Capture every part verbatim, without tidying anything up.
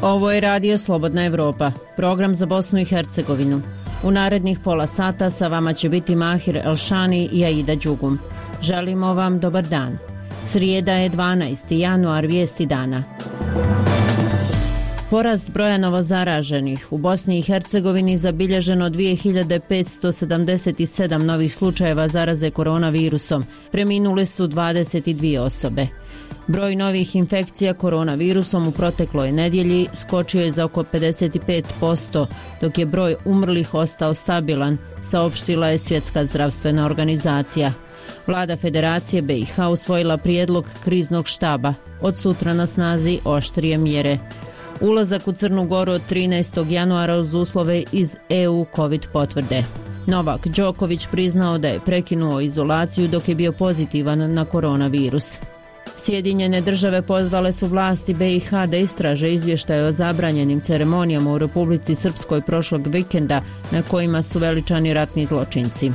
Ovo je Radio Slobodna Evropa, program za Bosnu i Hercegovinu. U narednih pola sata sa vama će biti Mahir Elšani i Aida Đugum. Želimo vam dobar dan. Srijeda je dvanaesti januar, vijesti dana. Porast broja novozaraženih u Bosni i Hercegovini zabilježeno dvije hiljade petsto sedamdeset sedam novih slučajeva zaraze koronavirusom. Preminule su dvadeset dvije osobe. Broj novih infekcija koronavirusom u protekloj nedjelji skočio je za oko pedeset pet posto, dok je broj umrlih ostao stabilan, saopštila je Svjetska zdravstvena organizacija. Vlada Federacije B i H usvojila prijedlog kriznog štaba. Od sutra na snazi oštrije mjere. Ulazak u Crnu Goru od trinaestog januara uz uslove iz E U COVID potvrde. Novak Đoković priznao da je prekinuo izolaciju dok je bio pozitivan na koronavirus. Sjedinjene države pozvale su vlasti B i H da istraže izvještaje o zabranjenim ceremonijama u Republici Srpskoj prošlog vikenda na kojima su veličani ratni zločinci.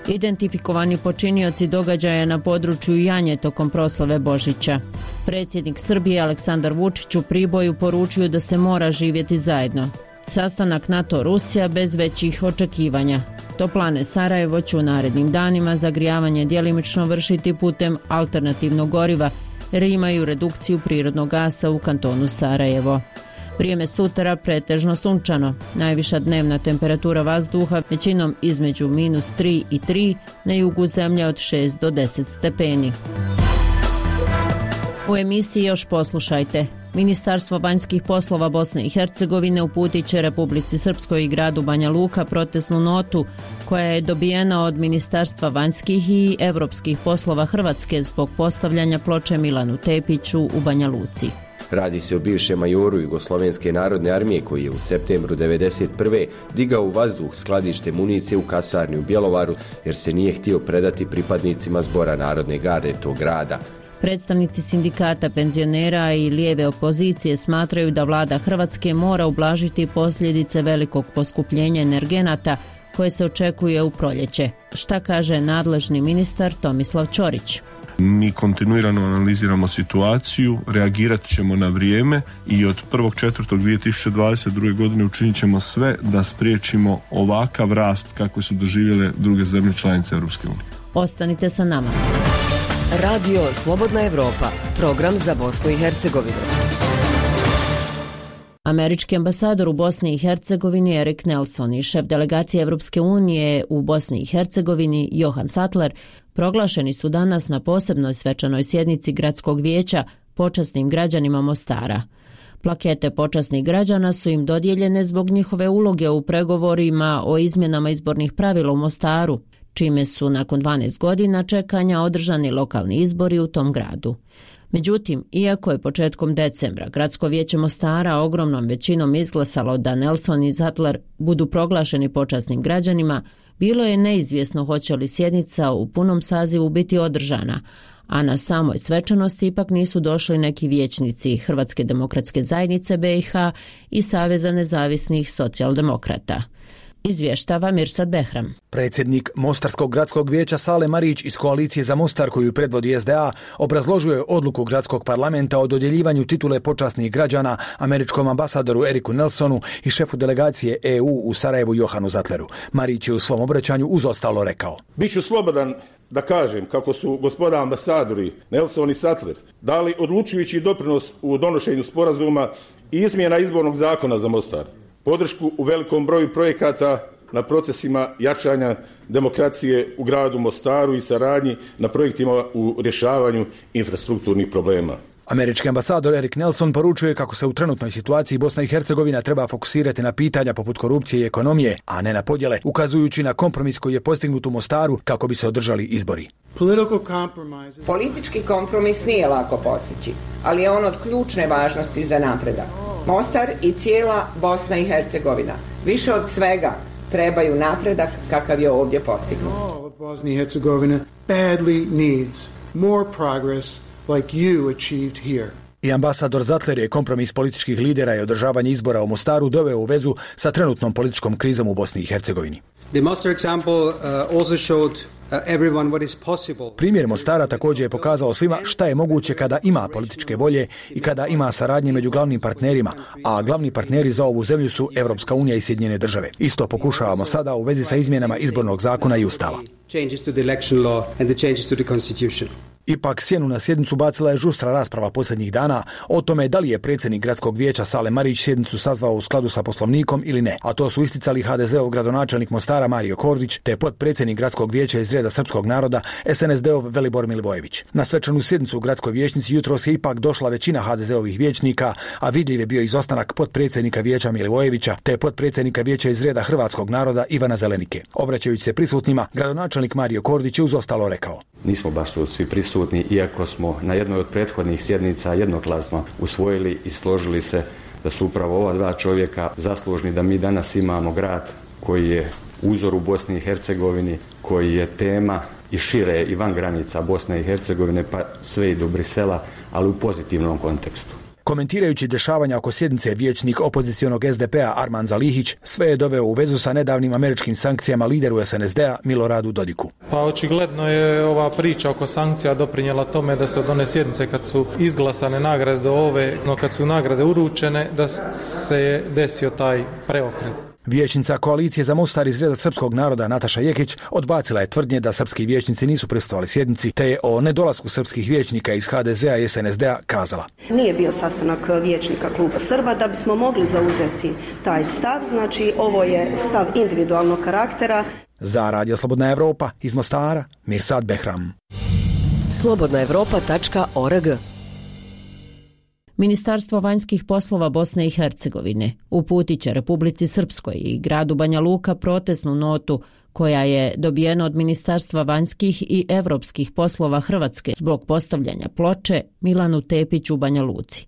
Identifikovani počinioci događaja na području Janje tokom proslave Božića. Predsjednik Srbije Aleksandar Vučić u Priboju poručio da se mora živjeti zajedno. Sastanak NATO-Rusija bez većih očekivanja. Toplane Sarajevo će u narednim danima zagrijavanje djelimično vršiti putem alternativnog goriva jer imaju redukciju prirodnog gasa u kantonu Sarajevo. Vrijeme sutra pretežno sunčano. Najviša dnevna temperatura vazduha većinom između minus tri i tri, na jugu zemlje od šest do deset stepeni. U emisiji još poslušajte. Ministarstvo vanjskih poslova Bosne i Hercegovine uputit će Republici Srpskoj i gradu Banja Luka protestnu notu koja je dobijena od Ministarstva vanjskih i evropskih poslova Hrvatske zbog postavljanja ploče Milanu Tepiću u Banja Luci. Radi se o bivšem majoru Jugoslovenske narodne armije koji je u septembru devedeset prve digao u vazduh skladište municije u kasarni u Bjelovaru jer se nije htio predati pripadnicima Zbora narodne garde tog grada. Predstavnici sindikata penzionera i lijeve opozicije smatraju da vlada Hrvatske mora ublažiti posljedice velikog poskupljenja energenata koje se očekuje u proljeće. Šta kaže nadležni ministar Tomislav Ćorić? Mi kontinuirano analiziramo situaciju, reagirat ćemo na vrijeme i od prvog četvrtog dvije tisuće dvadeset druge. godine učinit ćemo sve da spriječimo ovakav rast kako su doživjele druge zemlje članice Europske unije. Ostanite sa nama. Radio Slobodna Evropa, program za Bosnu i Hercegovinu. Američki ambasador u Bosni i Hercegovini Erik Nelson i šef delegacije Evropske unije u Bosni i Hercegovini Johan Sattler proglašeni su danas na posebnoj svečanoj sjednici gradskog vijeća počasnim građanima Mostara. Plakete počasnih građana su im dodijeljene zbog njihove uloge u pregovorima o izmjenama izbornih pravila u Mostaru, čime su nakon dvanaest godina čekanja održani lokalni izbori u tom gradu. Međutim, iako je početkom decembra Gradsko vijeće Mostara ogromnom većinom izglasalo da Nelson i Sattler budu proglašeni počasnim građanima, bilo je neizvjesno hoće li sjednica u punom sazivu biti održana, a na samoj svečanosti ipak nisu došli neki vijećnici Hrvatske demokratske zajednice B i H i Saveza nezavisnih socijaldemokrata. Izvještava Mirsad Behram. Predsjednik Mostarskog gradskog vijeća Sale Marić iz koalicije za Mostar koju predvodi S D A obrazložio je odluku gradskog parlamenta o dodjeljivanju titule počasnih građana američkom ambasadoru Eriku Nelsonu i šefu delegacije E U u Sarajevu Johanu Sattleru. Marić je u svom obraćanju uz ostalo rekao: Biću slobodan da kažem kako su gospoda ambasadori Nelson i Sattler dali odlučujući doprinos u donošenju sporazuma i izmjena izbornog zakona za Mostar, podršku u velikom broju projekata na procesima jačanja demokracije u gradu Mostaru i saradnji na projektima u rješavanju infrastrukturnih problema. Američki ambasador Erik Nelson poručuje kako se u trenutnoj situaciji Bosna i Hercegovina treba fokusirati na pitanja poput korupcije i ekonomije, a ne na podjele, ukazujući na kompromis koji je postignut u Mostaru kako bi se održali izbori. Politički kompromis nije lako postići, ali je on od ključne važnosti za napredak. Mostar i cijela Bosna i Hercegovina više od svega trebaju napredak kakav je ovdje postignut. Bosnia and Herzegovina badly needs more progress like you achieved here. I ambasador Sattler je kompromis političkih lidera i održavanje izbora u Mostaru doveo u vezu sa trenutnom političkom krizom u Bosni i Hercegovini. The Mostar example uh, also showed everyone what is possible. Primjer Mostara također je pokazao svima šta je moguće kada ima političke volje i kada ima saradnje među glavnim partnerima, a glavni partneri za ovu zemlju su Evropska unija i Sjedinjene države. Isto pokušavamo sada u vezi sa izmjenama izbornog zakona i ustava. Changes to the election law and the changes to the constitution. Ipak sjenu na sjednicu bacila je žustra rasprava posljednjih dana o tome da li je predsjednik gradskog vijeća Sale Marić sjednicu sazvao u skladu sa poslovnikom ili ne, a to su isticali ha de zeov gradonačelnik Mostara Mario Kordić te potpredsjednik gradskog vijeća iz reda srpskog naroda es en es de ov Velibor Milivojević. Na svečanu sjednicu u gradskoj vijećnici jutros je ipak došla većina ha de zeovih vijećnika, a vidljiv je bio izostanak potpredsjednika vijeća Milivojevića te potpredsjednika vijeća iz reda hrvatskog naroda Ivana Zelenike. Obraćajući se prisutnima, gradonačelnik Mario Kordić je uz ostalo rekao: Nismo baš svi prisutni, iako smo na jednoj od prethodnih sjednica jednoglasno usvojili i složili se da su upravo ova dva čovjeka zaslužni da mi danas imamo grad koji je uzor u Bosni i Hercegovini, koji je tema i šire i van granica Bosne i Hercegovine, pa sve i do Brisela, ali u pozitivnom kontekstu. Komentirajući dešavanja oko sjednice, vijećnik opozicionog es de pe-a Arman Zalihić sve je doveo u vezu sa nedavnim američkim sankcijama lideru es en es de-a Miloradu Dodiku. Pa očigledno je ova priča oko sankcija doprinijela tome da se od one sjednice kad su izglasane nagrade do ove, no kad su nagrade uručene, da se je desio taj preokret. Vijećnica koalicije za Mostar iz reda srpskog naroda Nataša Jekić odbacila je tvrdnje da srpski vijećnici nisu prisustvovali sjednici, te je o nedolasku srpskih vijećnika iz ha de zea i es en es de-a kazala: Nije bio sastanak vijećnika kluba Srba da bismo mogli zauzeti taj stav, znači ovo je stav individualnog karaktera. Za Radio Slobodna Evropa iz Mostara, Mirsad Behram. slobodna evropa tačka org. Ministarstvo vanjskih poslova Bosne i Hercegovine uputit će Republici Srpskoj i gradu Banja Luka protestnu notu koja je dobijena od Ministarstva vanjskih i evropskih poslova Hrvatske zbog postavljanja ploče Milanu Tepiću u Banja Luci.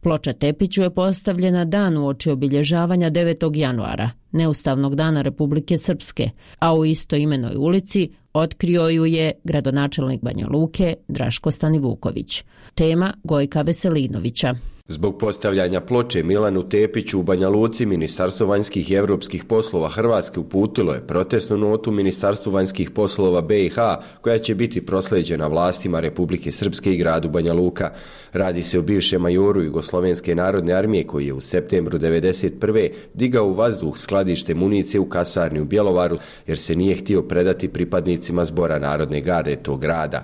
Ploča Tepiću je postavljena dan uoči obilježavanja devetog januara, neustavnog dana Republike Srpske, a u istoimenoj ulici otkrio ju je gradonačelnik Banja Luke Draško Stanivuković. Tema Gojka Veselinovića. Zbog postavljanja ploče Milanu Tepiću u Banja Luci, Ministarstvo vanjskih i evropskih poslova Hrvatske uputilo je protestnu notu Ministarstvu vanjskih poslova be i ha, koja će biti prosleđena vlastima Republike Srpske i gradu Banja Luka. Radi se o bivšem majoru Jugoslovenske narodne armije koji je u septembru devedeset prve digao u vazduh skladište municije u kasarni u Bjelovaru jer se nije htio predati pripadnicima Zbora narodne garde tog grada.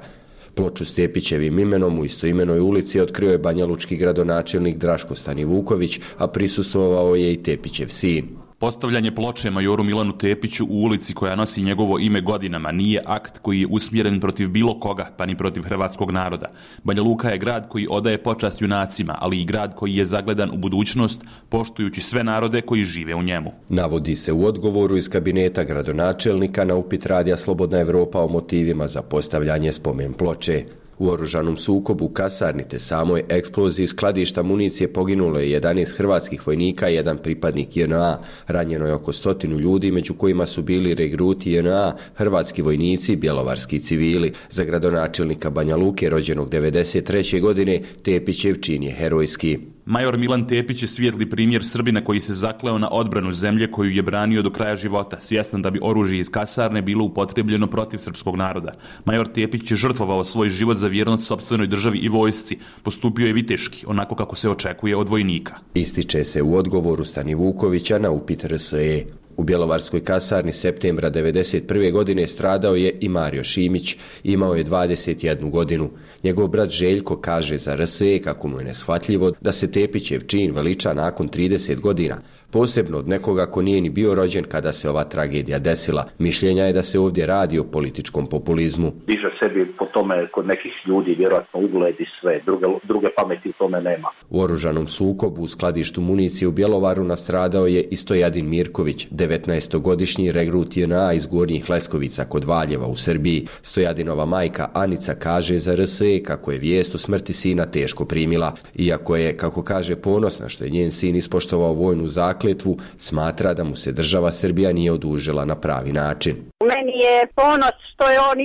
Ploču s Tepićevim imenom u istoimenoj ulici otkrio je banjalučki gradonačelnik Draško Stanivuković, a prisustvovao je i Tepićev sin. Postavljanje ploče majoru Milanu Tepiću u ulici koja nosi njegovo ime godinama nije akt koji je usmjeren protiv bilo koga, pa ni protiv hrvatskog naroda. Banja Luka je grad koji odaje počast junacima, ali i grad koji je zagledan u budućnost, poštujući sve narode koji žive u njemu. Navodi se u odgovoru iz kabineta gradonačelnika na upit Radija Slobodna Evropa o motivima za postavljanje spomen ploče. U oružanom sukobu u kasarni te samoj eksploziji skladišta municije poginulo je jedanaest hrvatskih vojnika i jedan pripadnik je en a. Ranjeno je oko stotinu ljudi, među kojima su bili regruti je en a, hrvatski vojnici i bjelovarski civili. Za gradonačelnika Banja Luke, rođenog devedeset treće godine, Tepićev čin je herojski. Major Milan Tepić je svijetli primjer Srbina koji se zakleo na odbranu zemlje koju je branio do kraja života, svjestan da bi oružje iz kasarne bilo upotrebljeno protiv srpskog naroda. Major Tepić je žrtvovao svoj život za vjernost sopstvenoj državi i vojsci. Postupio je viteški, onako kako se očekuje od vojnika. Ističe se u odgovoru Stanivukovića na upit er es e. U bjelovarskoj kasarni septembra devedeset prve godine stradao je i Mario Šimić, imao je dvadeset jednu godinu. Njegov brat Željko kaže za er es e kako mu je neshvatljivo da se Tepićev čin veliča nakon trideset godina, posebno od nekoga ko nije ni bio rođen kada se ova tragedija desila. Mišljenja je da se ovdje radi o političkom populizmu. Diže sebi po tome kod nekih ljudi vjerojatno ugled i sve, druge, druge pameti tome nema. U oružanom sukobu u skladištu municije u Bjelovaru nastradao je i Stojadin Mirković, devetnaestogodišnji regrut je en a iz Gornjih Leskovica kod Valjeva u Srbiji. Stojadinova majka Anica kaže za er es e kako je vijest o smrti sina teško primila. Iako je, kako kaže, ponosna što je njen sin ispoštovao vojnu zakletvu, smatra da mu se država Srbija nije odužila na pravi način. Meni je ponos što je on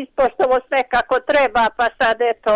ispoštovao sve kako treba, pa sad eto,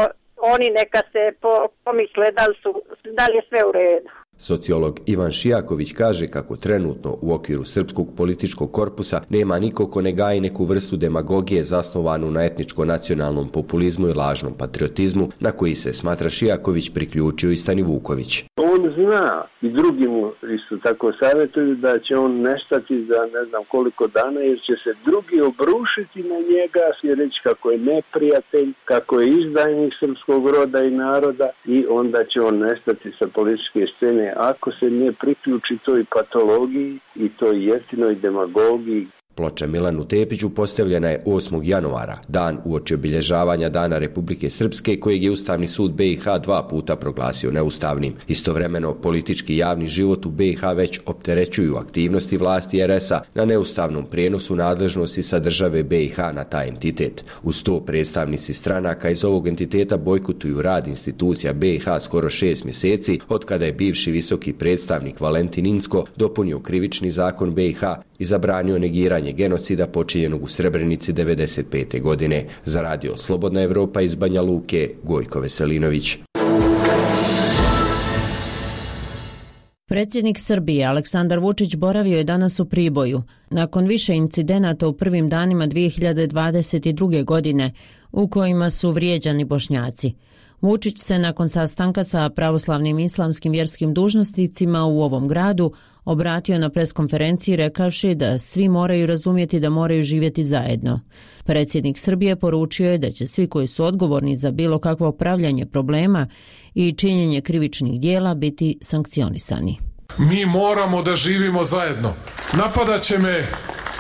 oni neka se po, pomisle da li, su, da li je sve u redu. Sociolog Ivan Šijaković kaže kako trenutno u okviru srpskog političkog korpusa nema niko ko ne gaji neku vrstu demagogije zasnovanu na etničko-nacionalnom populizmu i lažnom patriotizmu, na koji se, smatra Šijaković, priključio i Stani Vuković. On zna i drugi mu isto tako savjetuju da će on nestati za ne znam koliko dana, jer će se drugi obrušiti na njega i reći kako je neprijatelj, kako je izdajnik srpskog roda i naroda, i onda će on nestati sa političke scene ako se ne priključi toj patologiji i toj jeftinoj demagogiji. Ploča Milanu Tepiću postavljena je osmog januara, dan uoči obilježavanja Dana Republike Srpske, kojeg je Ustavni sud B i H dva puta proglasio neustavnim. Istovremeno, politički javni život u B i H već opterećuju aktivnosti vlasti er es a na neustavnom prijenosu nadležnosti sa države B i H na taj entitet. Uz to, predstavnici stranaka iz ovog entiteta bojkotuju rad institucija B i H skoro šest mjeseci, od kada je bivši visoki predstavnik Valentin Incko dopunio krivični zakon B i H i zabranio negiranje genocida počinjenog u Srebrenici devedeset pete. godine. Za radio Slobodna Evropa iz Banja Luke, Gojko Veselinović. Predsjednik Srbije Aleksandar Vučić boravio je danas u Priboju, nakon više incidenata u prvim danima dvije hiljade dvadeset druge. godine, u kojima su vrijeđani Bošnjaci. Vučić se nakon sastanka sa pravoslavnim islamskim vjerskim dužnosnicima u ovom gradu obratio na preskonferenciji rekavši da svi moraju razumjeti da moraju živjeti zajedno. Predsjednik Srbije poručio je da će svi koji su odgovorni za bilo kakvo upravljanje problema i činjenje krivičnih dijela biti sankcionisani. Mi moramo da živimo zajedno. Napadat će me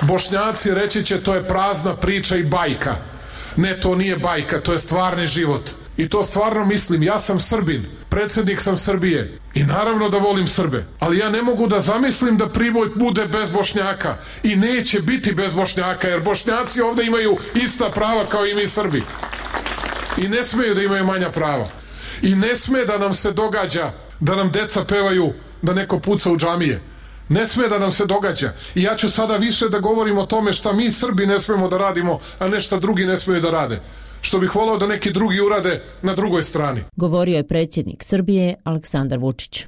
Bošnjaci, reći će to je prazna priča i bajka. Ne, to nije bajka, to je stvarni život. I to stvarno mislim, ja sam Srbin, predsjednik sam Srbije i naravno da volim Srbe, ali ja ne mogu da zamislim da Priboj bude bez Bošnjaka i neće biti bez Bošnjaka, jer Bošnjaci ovdje imaju ista prava kao i mi Srbi i ne smeju da imaju manja prava i ne sme da nam se događa da nam deca pevaju da neko puca u džamije. Ne sme da nam se događa. I ja ću sada više da govorim o tome šta mi Srbi ne smemo da radimo, a ne šta drugi ne smeju da rade. Što bih volao da neki drugi urade na drugoj strani. Govorio je predsjednik Srbije Aleksandar Vučić.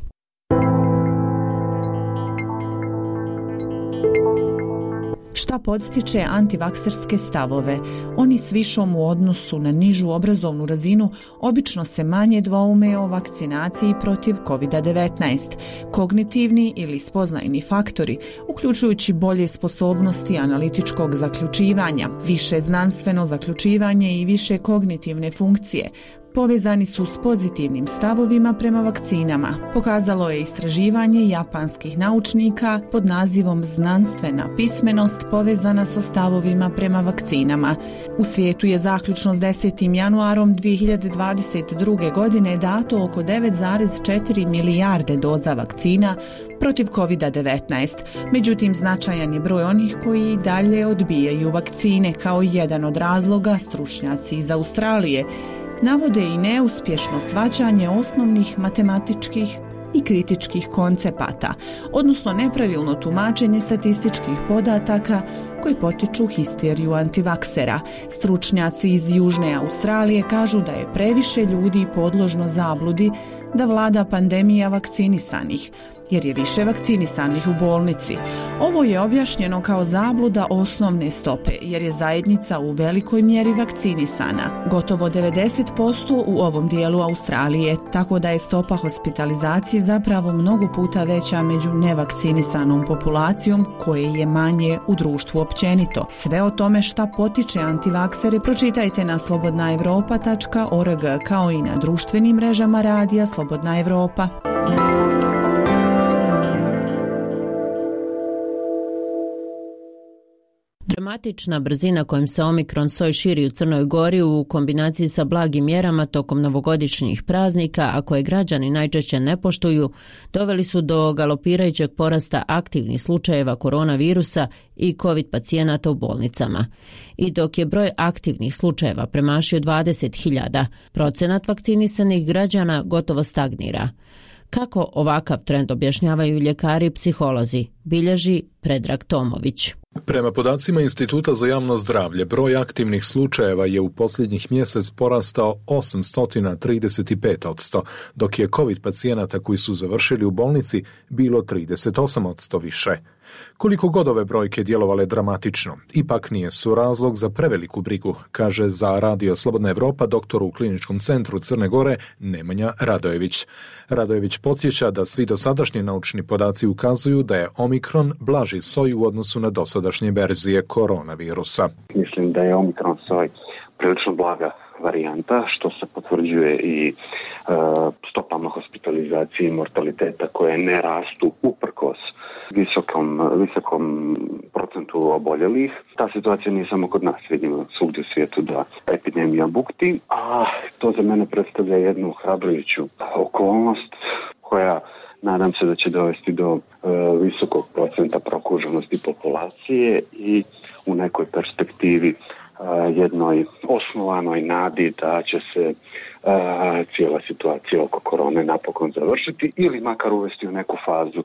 Šta podstiče antivakserske stavove? Oni s višom u odnosu na nižu obrazovnu razinu obično se manje dvoume o vakcinaciji protiv kovid devetnaest. Kognitivni ili spoznajni faktori, uključujući bolje sposobnosti analitičkog zaključivanja, više znanstveno zaključivanje i više kognitivne funkcije, povezani su s pozitivnim stavovima prema vakcinama, pokazalo je istraživanje japanskih naučnika pod nazivom Znanstvena pismenost povezana sa stavovima prema vakcinama. U svijetu je zaključno s desetim januarom dvije hiljade dvadeset druge. godine dato oko devet zarez četiri milijarde doza vakcina protiv kovid devetnaest. Međutim, značajan je broj onih koji i dalje odbijaju vakcine, kao jedan od razloga stručnjaci iz Australije navode i neuspješno shvaćanje osnovnih matematičkih i kritičkih koncepata, odnosno nepravilno tumačenje statističkih podataka koji potiču histeriju antivaksera. Stručnjaci iz Južne Australije kažu da je previše ljudi podložno zabludi da vlada pandemija vakcinisanih, jer je više vakcinisanih u bolnici. Ovo je objašnjeno kao zabluda osnovne stope, jer je zajednica u velikoj mjeri vakcinisana, gotovo devedeset posto u ovom dijelu Australije, tako da je stopa hospitalizacije zapravo mnogo puta veća među nevakcinisanom populacijom, koje je manje u društvu općenito. Sve o tome šta potiče antivaksere pročitajte na slobodna evropa tačka org, kao i na društvenim mrežama radija Slobodna Evropa. Dramatična brzina kojom se Omikron soj širi u Crnoj Gori u kombinaciji sa blagim mjerama tokom novogodišnjih praznika, a koje građani najčešće ne poštuju, doveli su do galopirajućeg porasta aktivnih slučajeva koronavirusa i COVID pacijenata u bolnicama. I dok je broj aktivnih slučajeva premašio dvadeset hiljada, procenat vakcinisanih građana gotovo stagnira. Kako ovakav trend objašnjavaju ljekari i psiholozi, bilježi Predrag Tomović. Prema podacima Instituta za javno zdravlje, broj aktivnih slučajeva je u posljednjih mjesec porastao osamsto trideset pet posto, dok je COVID pacijenata koji su završili u bolnici bilo trideset osam posto više. Koliko god ove brojke djelovale dramatično, ipak nije su razlog za preveliku brigu, kaže za Radio Slobodna Evropa doktor u Kliničkom centru Crne Gore Nemanja Radojević. Radojević podsjeća da svi dosadašnji naučni podaci ukazuju da je Omikron blaži soj u odnosu na dosadašnje verzije koronavirusa. Mislim da je Omikron soj prilično blaga varijanta, što se potvrđuje i e, stopama hospitalizacije i mortaliteta koje ne rastu uprkos visokom, visokom procentu oboljelih. Ta situacija nije samo kod nas, vidimo svugdje u svijetu da epidemija bukti, a to za mene predstavlja jednu hrabrujuću okolnost koja nadam se da će dovesti do e, visokog procenta prokuženosti populacije i u nekoj perspektivi jednoj osnovanoj nadi da će se a, cijela situacija oko korone napokon završiti ili makar uvesti u neku fazu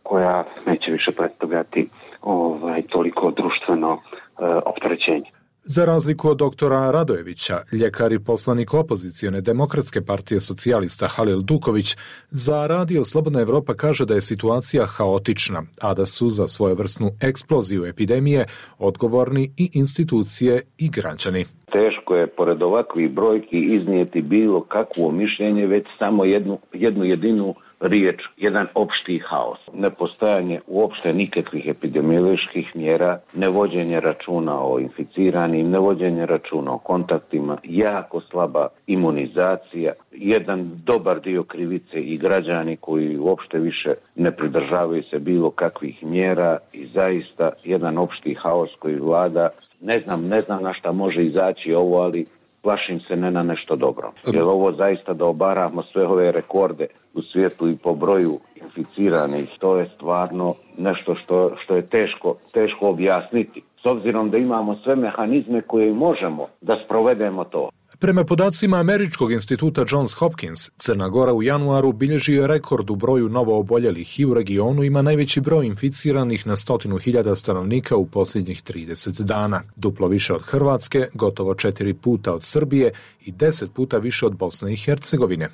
koja neće više predstavljati ovaj, toliko društveno a, opterećenje. Za razliku od doktora Radojevića, ljekar i poslanik opozicione Demokratske partije socijalista Halil Duković za Radio Slobodna Evropa kaže da je situacija haotična, a da su za svojevrsnu eksploziju epidemije odgovorni i institucije i građani. Teško je pored ovakvih brojki iznijeti bilo kakvo mišljenje, već samo jednu, jednu jedinu riječ, jedan opšti haos. Nepostojanje uopšte nikakvih epidemioloških mjera, nevođenje računa o inficiranim, nevođenje računa o kontaktima, jako slaba imunizacija, jedan dobar dio krivice i građani koji uopšte više ne pridržavaju se bilo kakvih mjera i zaista jedan opšti haos koji vlada. Ne znam, ne znam na šta može izaći ovo, ali plašim se ne na nešto dobro. Jer ovo zaista da obaramo sve ove rekorde u svijetu i po broju inficiranih, to je stvarno nešto što, što je teško, teško objasniti. S obzirom da imamo sve mehanizme koje možemo da sprovedemo to. Prema podacima Američkog instituta Johns Hopkins, Crna Gora u januaru bilježi je rekord u broju novooboljelih i u regionu ima najveći broj inficiranih na stotinu hiljada stanovnika u posljednjih trideset dana. Duplo više od Hrvatske, gotovo četiri puta od Srbije i deset puta više od Bosne i Hercegovine.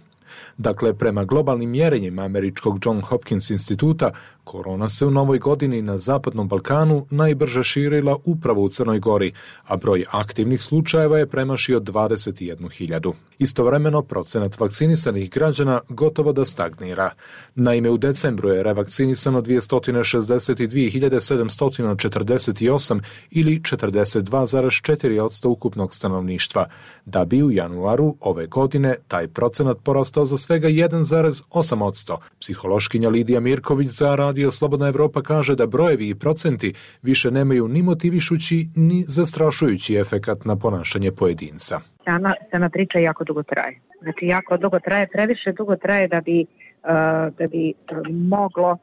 Dakle, prema globalnim mjerenjima Američkog Johns Hopkins instituta, korona se u novoj godini na Zapadnom Balkanu najbrže širila upravo u Crnoj Gori, a broj aktivnih slučajeva je premašio dvadeset jednu hiljadu. Istovremeno, procenat vakcinisanih građana gotovo da stagnira. Naime, u decembru je revakcinisano dvjesto šezdeset dvije hiljade sedamsto četrdeset osam ili četrdeset dva zarez četiri posto ukupnog stanovništva, da bi u januaru ove godine taj procenat porastao za svega jedan zarez osam posto. Psihološkinja Lidija Mirković za Radio Slobodna Evropa kaže da brojevi i procenti više nemaju ni motivišući ni zastrašujući efekat na ponašanje pojedinca. Sama, sama priča jako dugo traje. Znači jako dugo traje, previše dugo traje da bi, uh, da bi moglo uh,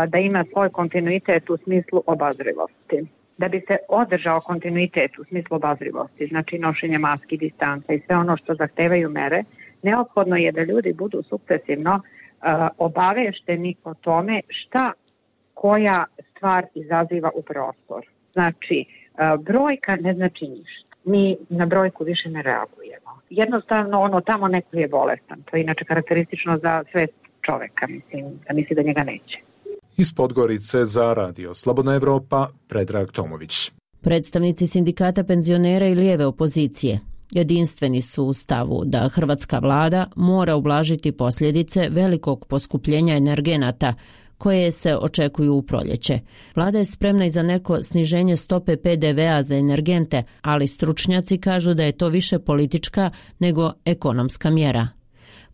da ima svoj kontinuitet u smislu obazrivosti. Da bi se održao kontinuitet u smislu obazrivosti, znači nošenje maski, distanca i sve ono što zahtevaju mere, neophodno je da ljudi budu sukcesivno uh, obavešteni o tome šta koja stvar izaziva u prostor. Znači, uh, brojka ne znači ništa. Mi na brojku više ne reagujemo. Jednostavno, ono tamo neko je bolestan. To je inače karakteristično za sve čoveka, mislim, da misli da njega neće. Iz Podgorice za Radio Slobodna Evropa, Predrag Tomović. Predstavnici sindikata penzionera i lijeve opozicije jedinstveni su u stavu da hrvatska vlada mora ublažiti posljedice velikog poskupljenja energenata koje se očekuju u proljeće. Vlada je spremna i za neko sniženje stope pe de ve a za energente, ali stručnjaci kažu da je to više politička nego ekonomska mjera.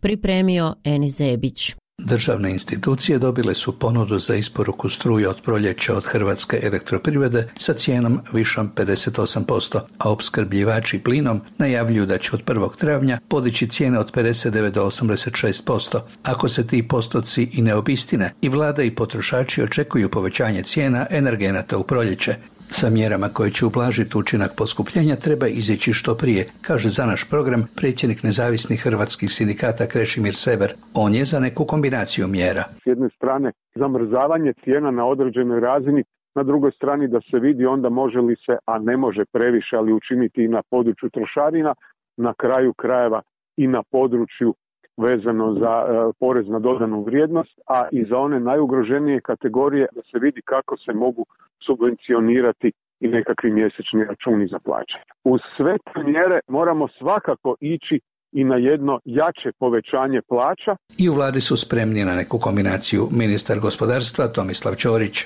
Pripremio Eni Zebić. Državne institucije dobile su ponudu za isporuku struje od proljeća od Hrvatske elektroprivrede sa cijenom višom pedeset osam posto, a opskrbljivači plinom najavljuju da će od prvog travnja podići cijene od pedeset devet do osamdeset šest posto. Ako se ti postoci i ne obistine, i vlada i potrošači očekuju povećanje cijena energenata u proljeće. Sa mjerama koje će ublažiti učinak poskupljenja treba izići što prije, kaže za naš program predsjednik nezavisnih hrvatskih sindikata Krešimir Sever. On je za neku kombinaciju mjera. S jedne strane zamrzavanje cijena na određenoj razini na drugoj strani da se vidi onda može li se, a ne može previše, ali učiniti i na području trošarina, na kraju krajeva i na području vezano za e, porez na dodanu vrijednost, a i za one najugroženije kategorije da se vidi kako se mogu subvencionirati i nekakvi mjesečni računi za plaćanje. Uz sve te mjere moramo svakako ići i na jedno jače povećanje plaća. I u vladi su spremni na neku kombinaciju. Ministar gospodarstva Tomislav Ćorić.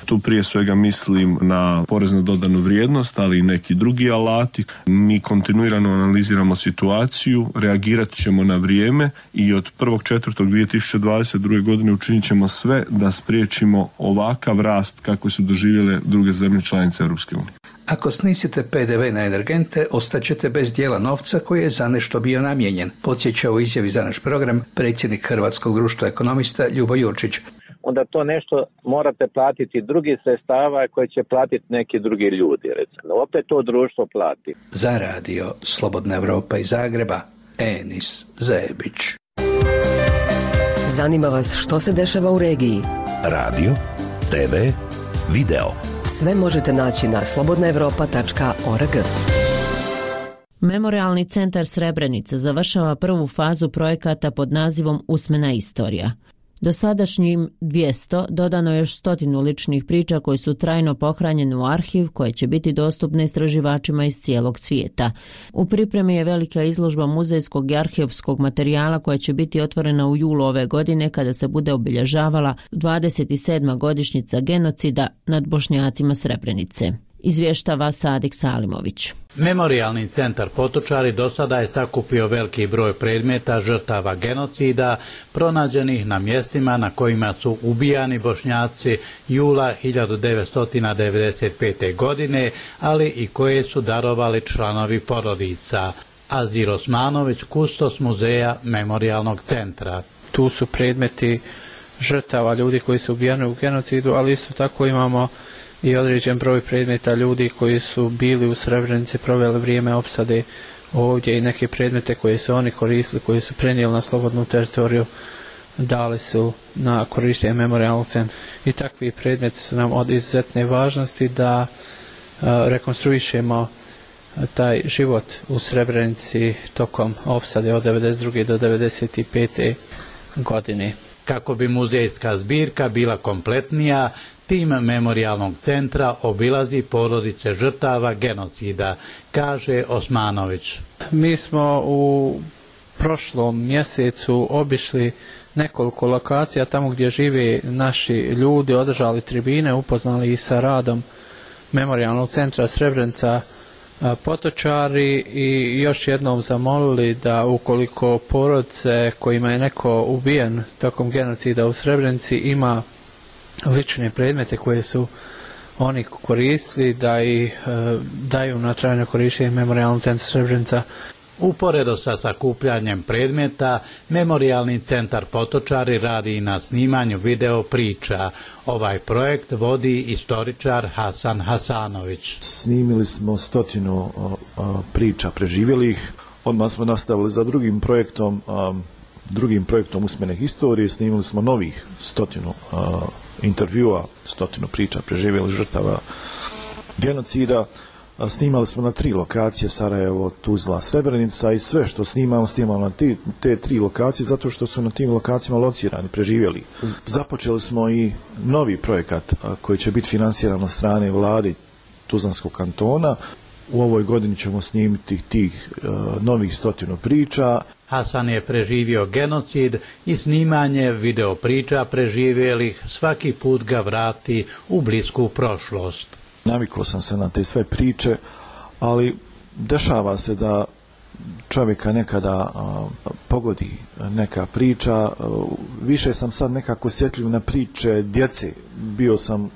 Tu prije svega mislim na porez na dodanu vrijednost, ali i neki drugi alati. Mi kontinuirano analiziramo situaciju, reagirat ćemo na vrijeme i od prvog četvrtog dvije tisuće dvadeset druge. godine učinit ćemo sve da spriječimo ovakav rast kako su doživjele druge zemlje članice Europske unije. Ako snisite pe de ve na energente, ostaćete bez dijela novca koji je za nešto bio namijenjen, podsjeća u izjavi za naš program predsjednik Hrvatskog društva ekonomista Ljubo Jurčić. Onda to nešto morate platiti drugi sredstava koje će platiti neki drugi ljudi, recimo. Opet to društvo plati. Za radio Slobodna Evropa iz Zagreba, Enis Zebić. Zanima vas što se dešava u regiji? Radio, te ve, video. Sve možete naći na slobodna evropa tačka org. Memorialni centar Srebrenica završava prvu fazu projekata pod nazivom Usmena istorija. Dosadašnjim dvjesto dodano je još stotinu ličnih priča koje su trajno pohranjene u arhiv koje će biti dostupne istraživačima iz cijelog svijeta. U pripremi je velika izložba muzejskog i arhivskog materijala koja će biti otvorena u julu ove godine kada se bude obilježavala dvadeset sedma godišnjica genocida nad Bošnjacima Srebrenice. Izvještava Sadik Salimović. Memorialni centar Potočari do sada je sakupio veliki broj predmeta žrtava genocida pronađenih na mjestima na kojima su ubijani Bošnjaci jula hiljadu devetsto devedeset pete. godine, ali i koje su darovali članovi porodica. Azir Osmanović, kustos muzeja Memorialnog centra. Tu su predmeti žrtava ljudi koji su ubijani u genocidu, ali isto tako imamo i određen broj predmeta ljudi koji su bili u Srebrenici, proveli vrijeme opsade ovdje i neke predmete koje su oni koristili, koji su prenijeli na slobodnu teritoriju, dali su na korištenje Memorialnog centra. I takvi predmeti su nam od izuzetne važnosti da uh, rekonstruišemo taj život u Srebrenici tokom opsade od devedeset druge do devedeset pete. godine. Kako bi muzejska zbirka bila kompletnija, tim Memorialnog centra obilazi porodice žrtava genocida, kaže Osmanović. Mi smo u prošlom mjesecu obišli nekoliko lokacija tamo gdje žive naši ljudi, održali tribine, upoznali i sa radom Memorialnog centra Srebrenica Potočari i još jednom zamolili da ukoliko porodice kojima je neko ubijen tokom genocida u Srebrenici ima lične predmete koje su oni koristili da ih e, daju na trajno korištenje Memorialnog centra Srebrenica. Uporedo sa sakupljanjem predmeta, Memorialni centar Potočari radi i na snimanju video priča. Ovaj projekt vodi istoričar Hasan Hasanović. Snimili smo stotinu o, o, priča preživjelih. Odmah smo nastavili za drugim projektom, a, drugim projektom usmene historije. Snimili smo novih stotinu a, intervjua, stotinu priča preživjelih žrtava genocida. Snimali smo na tri lokacije, Sarajevo, Tuzla, Srebrenica, i sve što snimamo, snimamo na te, te tri lokacije zato što su na tim lokacijama locirani, preživjeli. Započeli smo i novi projekat koji će biti finansiran od strane vlade Tuzlanskog kantona. U ovoj godini ćemo snimiti tih uh, novih stotinu priča. Hasan je preživio genocid i snimanje video priča preživjelih svaki put ga vrati u blisku prošlost. Navikao sam se na te sve priče, ali dešava se da čovjeka nekada a, pogodi neka priča. A, više sam sad nekako osjetljiv na priče djece. Bio sam, a,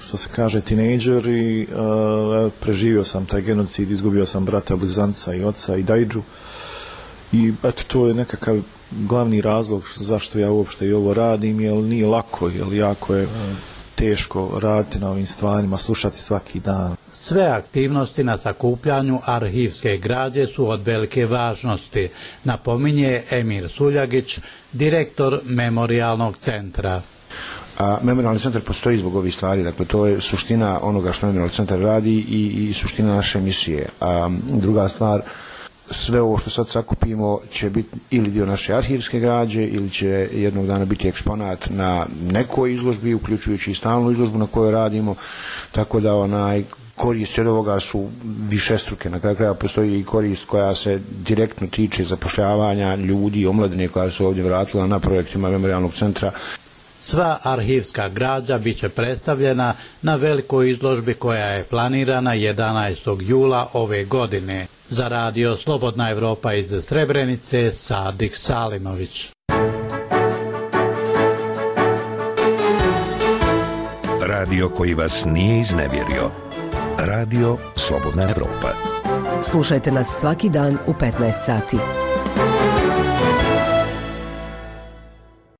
što se kaže, tinejdžer i a, preživio sam taj genocid, izgubio sam brata, blizanca i oca i dajdžu. I eto, to je nekakav glavni razlog zašto ja uopšte i ovo radim, jer nije lako, jer jako je teško raditi na ovim stvarima, slušati svaki dan. Sve aktivnosti na sakupljanju arhivske građe su od velike važnosti, napominje Emir Suljagić, direktor Memorialnog centra. A Memorijalni centar postoji zbog ovih stvari, dakle to je suština onoga što Memorijalni centar radi i, i suština naše misije. A druga stvar, sve ovo što sad sakupimo će biti ili dio naše arhivske građe ili će jednog dana biti eksponat na nekoj izložbi, uključujući i stalnu izložbu na kojoj radimo, tako da onaj koristi od ovoga su višestruke. Na kraju kraja postoji i korist koja se direktno tiče zapošljavanja ljudi, omladine koja su ovdje vratila na projektima Memorijalnog centra. Sva arhivska građa bit će predstavljena na velikoj izložbi koja je planirana jedanaestog jula ove godine. Za radio Slobodna Evropa iz Srebrenice, Sadik Salimović. Radio koji vas nije iznevjerio. Radio Slobodna Evropa. Slušajte nas svaki dan u petnaest sati.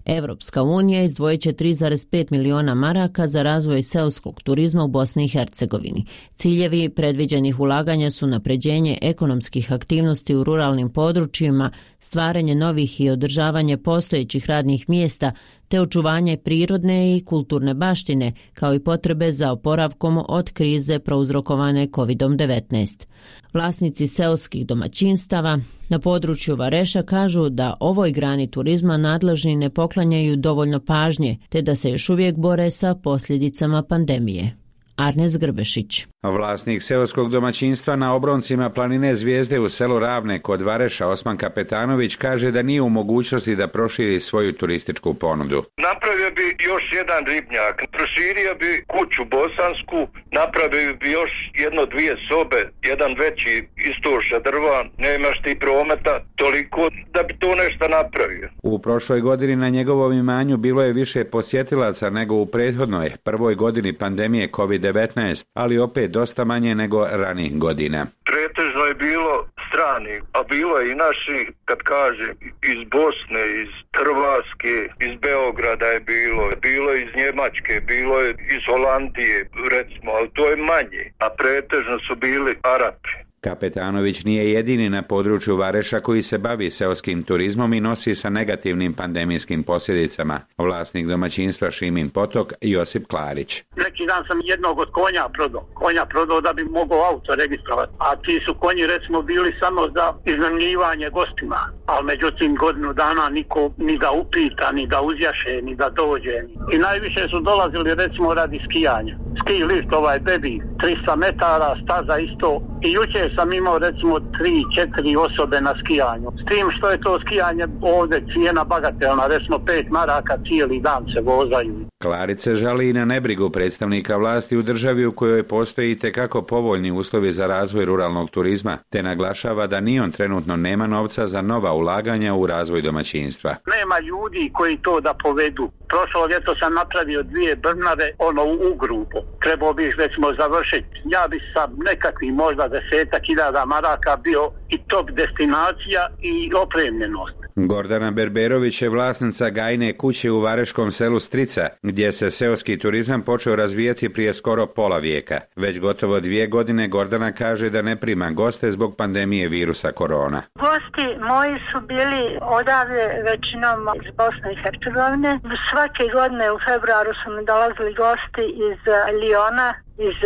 Evropska unija izdvojit će tri zarez pet miliona maraka za razvoj seoskog turizma u Bosni i Hercegovini. Ciljevi predviđenih ulaganja su napređenje ekonomskih aktivnosti u ruralnim područjima, stvaranje novih i održavanje postojećih radnih mjesta, te očuvanje prirodne i kulturne baštine, kao i potrebe za oporavkom od krize prouzrokovane kovid devetnaest. Vlasnici seoskih domaćinstava na području Vareša kažu da ovoj grani turizma nadležni ne poklanjaju dovoljno pažnje, te da se još uvijek bore sa posljedicama pandemije. Arnes Grbešić. Vlasnik seoskog domaćinstva na obroncima planine Zvijezde u selu Ravne kod Vareša, Osman Kapetanović, kaže da nije u mogućnosti da proširi svoju turističku ponudu. Napravio bi još jedan ribnjak, proširio bi kuću bosansku, napravio bi još jedno dvije sobe, jedan veći istorša drva, nemaš ti prometa toliko da bi to nešto napravio. U prošloj godini na njegovom imanju bilo je više posjetilaca nego u prethodnoj, prvoj godini pandemije kovid devetnaest, ali opet dosta manje nego ranijih godina. Pretežno je bilo strani, a bilo je i naši, kad kažem, iz Bosne, iz Hrvatske, iz Beograda je bilo, bilo je iz Njemačke, bilo je iz Holandije, recimo, ali to je manje, a pretežno su bili Arapi. Kapetanović nije jedini na području Vareša koji se bavi seoskim turizmom i nosi sa negativnim pandemijskim posljedicama. Vlasnik domaćinstva Šimin Potok, Josip Klarić. Neki dan sam jednog od konja prodao. Konja prodao da bi mogao auto registrovati. A ti su konji recimo bili samo za iznajmljivanje gostima. Ali međutim godinu dana niko ni da upita, ni da uzjaše, ni da dođe. I najviše su dolazili recimo radi skijanja. Ski lift ovaj bebi, tristo metara, staza isto. I jučer sam imao recimo tri četiri osobe na skijanju. S tim što je to skijanje ovdje cijena bagatelna, recimo pet maraka cijeli dan se vozaju. Klarić se žali i na nebrigu predstavnika vlasti u državi u kojoj postoji itekako povoljni uslovi za razvoj ruralnog turizma, te naglašava da ni on trenutno nema novca za nova ulaganja u razvoj domaćinstva. Nema ljudi koji to da povedu. Prošlo ljeto sam napravio dvije brnave, ono u grupu. Trebao bih recimo završiti. Ja bi sa nekakvih možda desetak hiljada maraka bio i top destinacija i opremljenost. Gordana Berberović je vlasnica gajne kuće u vareškom selu Strica, gdje se seoski turizam počeo razvijati prije skoro pola vijeka. Već gotovo dvije godine Gordana kaže da ne prima goste zbog pandemije virusa korona. Gosti moji su bili odavde većinom iz Bosne i Hercegovine. Svake godine u februaru su mi dolazili gosti iz Liona, iz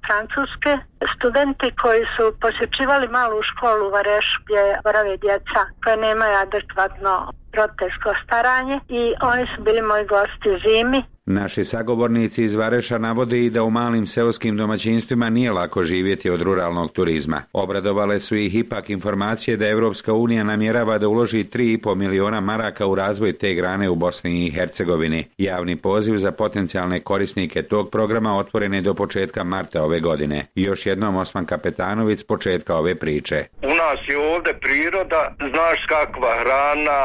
Francuske. Studenti koji su posjećivali malu školu u Varešu gdje borave djeca koje nemaju adekvatno roditeljsko staranje i oni su bili moji gosti zimi. Naši sagovornici iz Vareša navode i da u malim seoskim domaćinstvima nije lako živjeti od ruralnog turizma. Obradovale su ih ipak informacije da Evropska unija namjerava da uloži tri i pol miliona maraka u razvoj te grane u Bosni i Hercegovini. Javni poziv za potencijalne korisnike tog programa otvoren je do početka marta ove godine. I još jednom Osman Kapetanović s početka ove priče. U nas je ovdje priroda, znaš kakva hrana,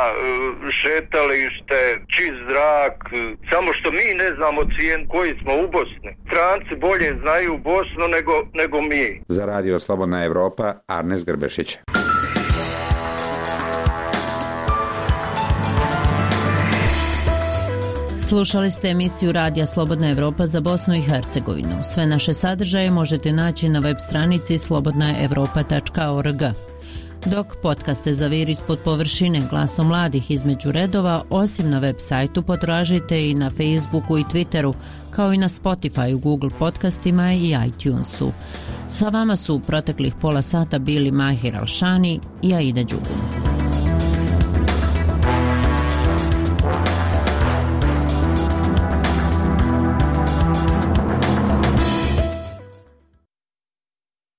šetalište, čist zrak, samo što mi ne znamo cijen koji smo u Bosni. Stranci bolje znaju Bosnu nego, nego mi. Za radio Slobodna Evropa, Arnes Grbešić. Slušali ste emisiju Radija Slobodna Evropa za Bosnu i Hercegovinu. Sve naše sadržaje možete naći na web stranici slobodna evropa tačka org. Dok podcaste Zavir ispod površine, Glasom mladih između redova, osim na web sajtu potražite i na Facebooku i Twitteru, kao i na Spotify, Google podcastima i iTunesu. Sa vama su u proteklih pola sata bili Mahir Alšani i Aida Đugum.